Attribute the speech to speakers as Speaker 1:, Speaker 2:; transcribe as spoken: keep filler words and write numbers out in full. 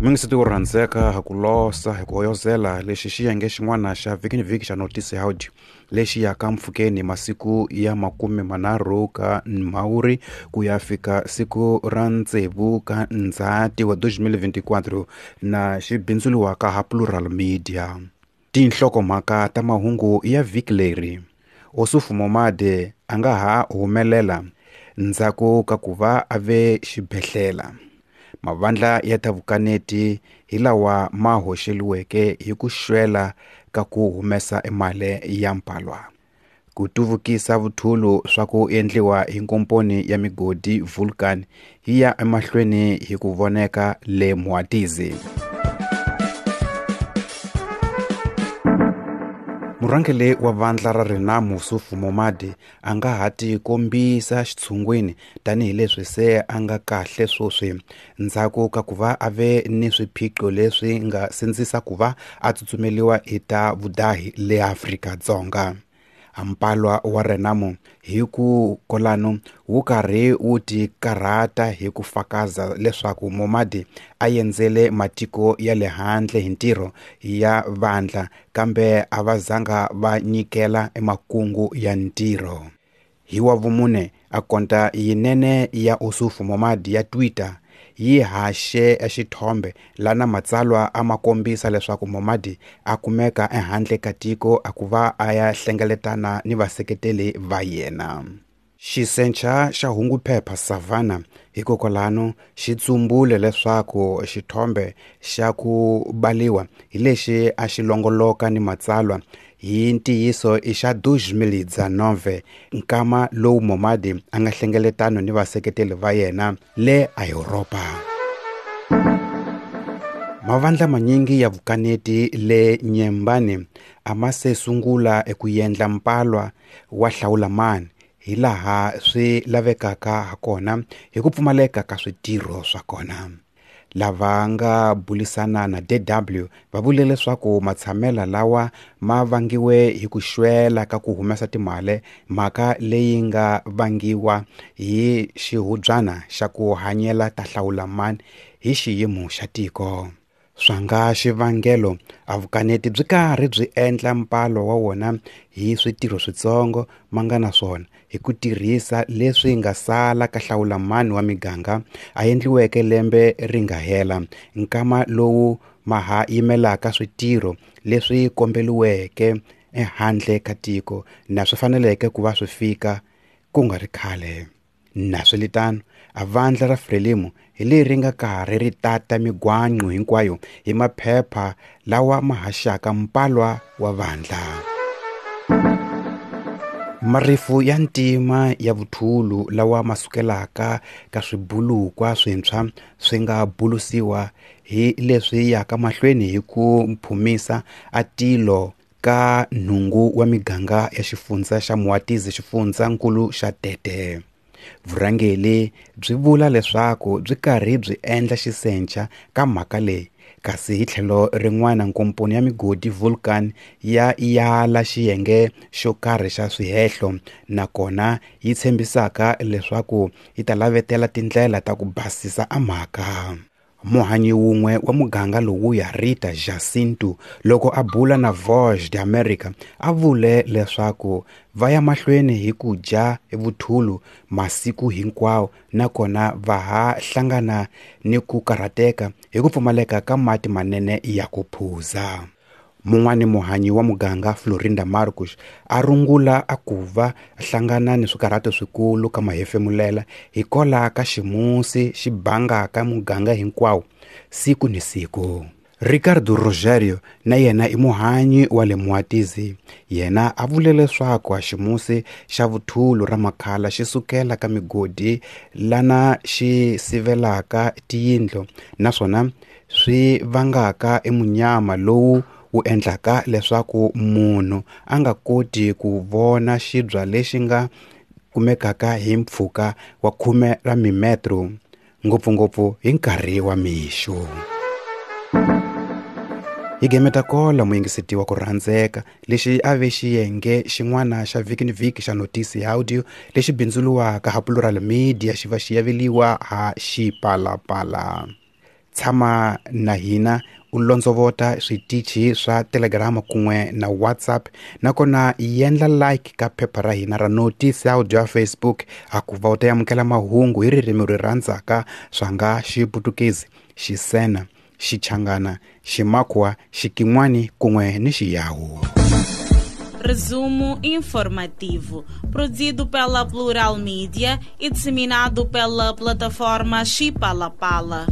Speaker 1: Mingiseti wo rhandzeka ku losa hi ku hoyozela lexi xiyenge xin'wana xa vhiki ni vhiki xa Notisi Audio lexi yaka mpfhukeni masiku ya makume manharhu ka Mhawuri ku ya fika siku ra tsevu ka Ndzhati wa twenty twenty-four na xi bindzuriwaka ha Plural Media. Tinhlokomhaka ta mahungu ya vhiki leri: Ossufo Momade a nga ha humelela ndzhaku ka ku va a ve xibedhlele. Mavandla ya ta vukaneti hi lawa ma hoxeliweke hi ku xwela ka ku humesa emali ya mphalwa. Ku tuvukisa vuthulu swa ku endliwa hi nkomponi ya migodi Vulcan yi ya emahlweni hi ku voneka le Moatize. Murhangeri wa vandla ra Renamo Ossufo Momade a nga ha tikombisa xitshungwini tanihileswi se a nga kahle sweswi ndzhaku ka ku va a ve ni swiphiqo leswi nga sindzisa ku va a tsutsumeliwa hi ta vudahi le Afrika-Dzonga. Mphalwa wa Renamo hi ku kolano wu karhi wu tikarhata hi ku fakaza leswaku Momade a endzele matiko ya le handle hi ntirho ya vandla kambe a va zanga va nyikela emakungu ya ntirho. Hi wa vumune akonta yinene ya Ossufo Momade ya Twitter yi haxe xithombe lana matsalwa a ma kombisa leswaku Momade a kumeka ehandle ka tiko a ku va a ya hlengeletana ni vaseketeli va yena. Xisencha xa hunguphepha Savannah hikokwalano xi tsumbule leswaku xithombe xa ku baliwa hi lexi a xi longoloka ni matsalwa hi ntiyiso i xa twenty nineteen nkama lowu Momade a nga hlengeletano ni vaseketeli va yena le a Yuropa. Mavandla manyingi ya vukaneti le Nyembani a ma se sungula eku endla mphalwa wa hlawulamani hi laha swi lavekaka hakona hi ku pfumaleka ka switirho swa kona. Lava nga bulisana na D W va vule leswaku matshamela lawa ma vangiwe hi ku xwela ka ku humesa timali, mhaka leyi nga vangiwa hi xihubyana xa ku hanyela ta hlawulamani hi xiyimo xa tiko. Swa nga xivangelo a vukaneti byi karhi byi endla mphalwa wa wona hi switirho switsongo ma nga na swona hi ku tirhisa leswi nga sala ka hlawulamani wa miganga a endliweke lembe ri nga hela, nkama lowu ma ha yimelaka switirho leswi kombeliweke ehandle ka tiko na swi faneleke ku va swi fika ku nga ri khale. Naswelitano a vandla ra Frelimo hi leri nga karhi ri tata migwanqo hinkwayo hi maphepha lawa ma haxaka mphalwa wa vandla. Marifu ya ntima ya vuthulu lawa ma sukelaka ka swibulukwa swintshwa swi nga bulusiwa hi leswi yaka mahlweni hi ku phumisa a tilo ka nhungu wa miganga ya xifundza xa Moatize xifundzankulu xa Tete. Vurhangeri byi vula leswaku byi karhi byi endla xisencha ka mhaka leyi, kasi hi tlhelo rin'wana nkomponi ya migodi Vulcan ya yala xiyenge xo karhi xa swihehlo nakona yi tshembisaka leswaku yi ta lavetela tindlela ta ku basisa a mhaka. Muhanyi wun'we wa muganga lowuya Rita Jacinto loko a bula na Voz de America a vule leswaku va ya mahlweni hi ku dya vuthulu masiku hinkwawo nakona va ha hlangana ni ku karhateka hi ku pfumaleka ka mati manene ya ku phuza. Mun'wani muhanyi wa muganga Florinda Marcos a rungula a ku va hlangana ni swikarhato swikulu ka mahefemulela hikola ka ximusi xi bangaka muganga hinkwawo siku ni siku. Ricardo Rogerio na yena i muhanyi wa le Moatize. Yena a vule leswaku ximusi xa vuthulu ra makhala xi sukela ka migodi lana xi sivelaka tiyindlu naswona swi vangaka emunyama lowu wu endlaka leswaku munhu a nga koti ku vona xibya lexi nga kumekaka hi mpfhuka wa khume ra mimetro ngopfungopfu hi nkarhi wa mixo. Hi gemeta kola muyingiseti wa ku rhandzeka lexi a ve xiyenge xin'wana xa vhiki ni vhiki xa Notisi Audio lexi bindzuriwaka ha Plural Media xi va xi yaveliwa ha Xipalapala. Tshama na hina u londzovota switichi swa Telegram kun'we na WhatsApp, nakona yendla like ka phepha ra hina ra Notice Audio ya Facebook akuva u ta amukela mahungu hi ririmi ri rhandzaka swa nga Xiputukezi, Xisena, Xichangana, Ximakwa, Xikin'wani kun'we ni Xiyawu.
Speaker 2: Resumo informativo, produzido pela Plural Mídia e disseminado pela plataforma Xipalapala.